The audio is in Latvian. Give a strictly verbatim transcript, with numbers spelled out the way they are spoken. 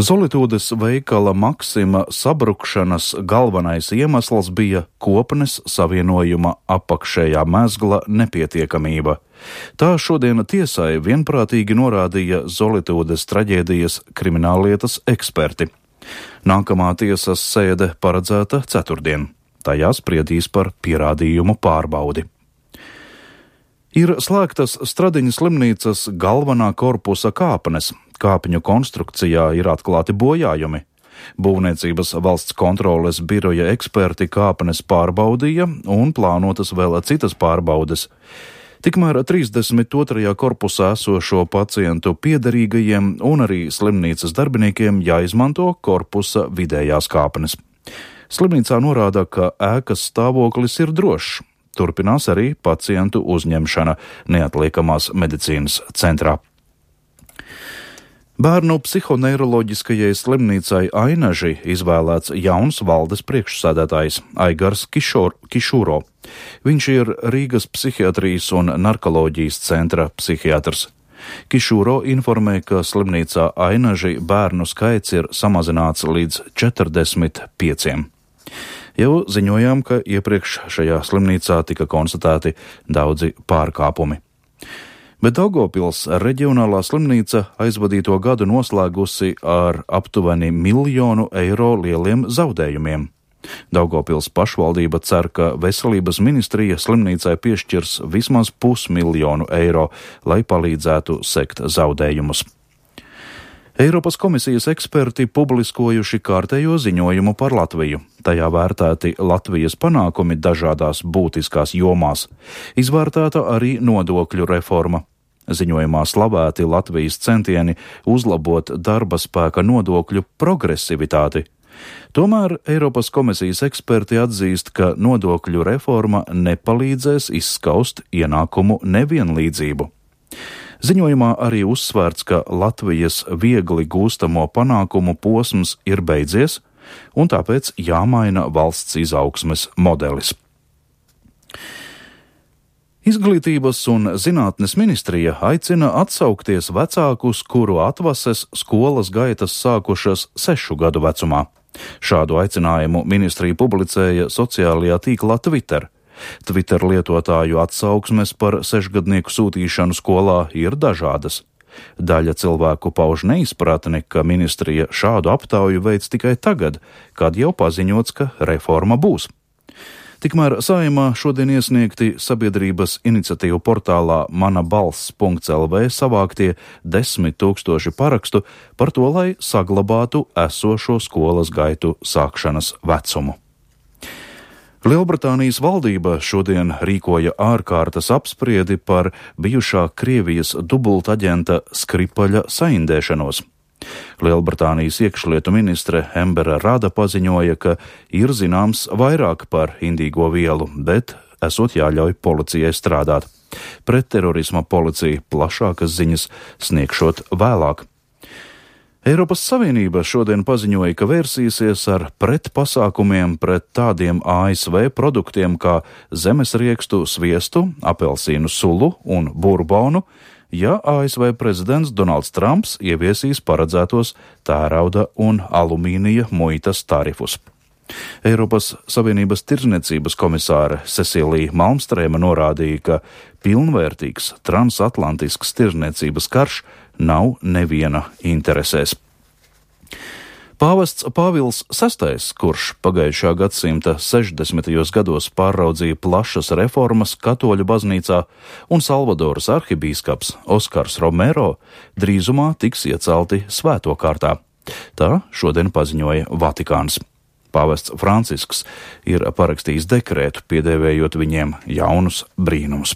Zolitūdes veikala Maksima sabrukšanas galvenais iemesls bija kopnes savienojuma apakšējā mezgla nepietiekamība. Tā šodien tiesai vienprātīgi norādīja Zolitūdes traģēdijas krimināllietas eksperti. Nākamā tiesas sēde paredzēta ceturtdien. Tajā spriedīs par pierādījumu pārbaudi. Ir slēgtas Stradiņas slimnīcas galvenā korpusa kāpnes. Kāpņu konstrukcijā ir atklāti bojājumi. Būvniecības valsts kontroles biroja eksperti kāpnes pārbaudīja un plānotas vēl citas pārbaudes. Tikmēr trīsdesmit otrajā korpusā esošo pacientu piederīgajiem un arī slimnīcas darbiniekiem jāizmanto korpusa vidējās kāpnes. Slimnīcā norāda, ka ēkas stāvoklis ir drošs. Turpinās arī pacientu uzņemšana neatliekamās medicīnas centrā. Bērnu psihoneiroloģiskajai slimnīcai Ainaži izvēlēts jauns valdes priekšsēdētājs Aigars Kišor, Kišūro. Viņš ir Rīgas psihiatrijas un narkoloģijas centra psihiatrs. Kišūro informē, ka slimnīcā Ainaži bērnu skaits ir samazināts līdz četrdesmit pieciem. Jau ziņojām, ka iepriekš šajā slimnīcā tika konstatēti daudzi pārkāpumi. Bet Daugavpils reģionālā slimnīca aizvadīto gadu noslēgusi ar aptuveni miljonu eiro lieliem zaudējumiem. Daugavpils pašvaldība cer, ka veselības ministrija slimnīcai piešķirs vismaz pusmiljonu eiro, lai palīdzētu sekt zaudējumus. Eiropas komisijas eksperti publiskojuši kārtējo ziņojumu par Latviju. Tajā vērtēti Latvijas panākumi dažādās būtiskās jomās. Izvērtēta arī nodokļu reforma. Ziņojumā slavēti Latvijas centieni uzlabot darba spēka nodokļu progresivitāti. Tomēr Eiropas komisijas eksperti atzīst, ka nodokļu reforma nepalīdzēs izskaust ienākumu nevienlīdzību. Ziņojumā arī uzsvērts, ka Latvijas viegli gūstamo panākumu posms ir beidzies, un tāpēc jāmaina valsts izaugsmes modelis. Izglītības un zinātnes ministrija aicina atsaukties vecākus, kuru atvases skolas gaitas sākušas sešu gadu vecumā. Šādu aicinājumu ministrija publicēja sociālajā tīklā Twitter. Twitter lietotāju atsauksmes par sešgadnieku sūtīšanu skolā ir dažādas. Daļa cilvēku pauž neizpratni, ka ministrija šādu aptauju veic tikai tagad, kad jau paziņots, ka reforma būs. Tikmēr Saeimā šodien iesniegti sabiedrības iniciatīvu portālā mana balss punkts el vē savāktie desmit tūkstoši parakstu par to, lai saglabātu esošo skolas gaitu sākšanas vecumu. Lielbritānijas valdība šodien rīkoja ārkārtas apspriedi par bijušā Krievijas dubultaģenta Skripaļa saindēšanos. Lielbritānijas iekšlietu ministre Embera Rada paziņoja, ka ir zināms vairāk par indīgo vielu, bet esot jāļauj policijai strādāt. Pret terorisma policija plašākas ziņas sniegšot vēlāk. Eiropas Savienība šodien paziņoja, ka vērsīsies ar pretpasākumiem pret tādiem A S V produktiem kā zemesriekstu sviestu, apelsīnu sulu un burbonu, ja A S V prezidents Donalds Trumps ieviesīs paredzētos tērauda un alumīnija muitas tarifus. Eiropas Savienības tirdzniecības komisāre Cecilija Malmstrēma norādīja, ka pilnvērtīgs transatlantisks tirdzniecības karš nav neviena interesēs. Pāvests Pāvils sestais, kurš pagājušā gadsimta sešdesmitajos gados pārraudzīja plašas reformas katoļu baznīcā, un Salvadoras arhibīskaps Oskars Romero drīzumā tiks iecelti svēto kārtā. Tā šodien paziņoja Vatikāns. Pāvests Francisks ir parakstījis dekrētu, piedēvējot viņiem jaunus brīnumus.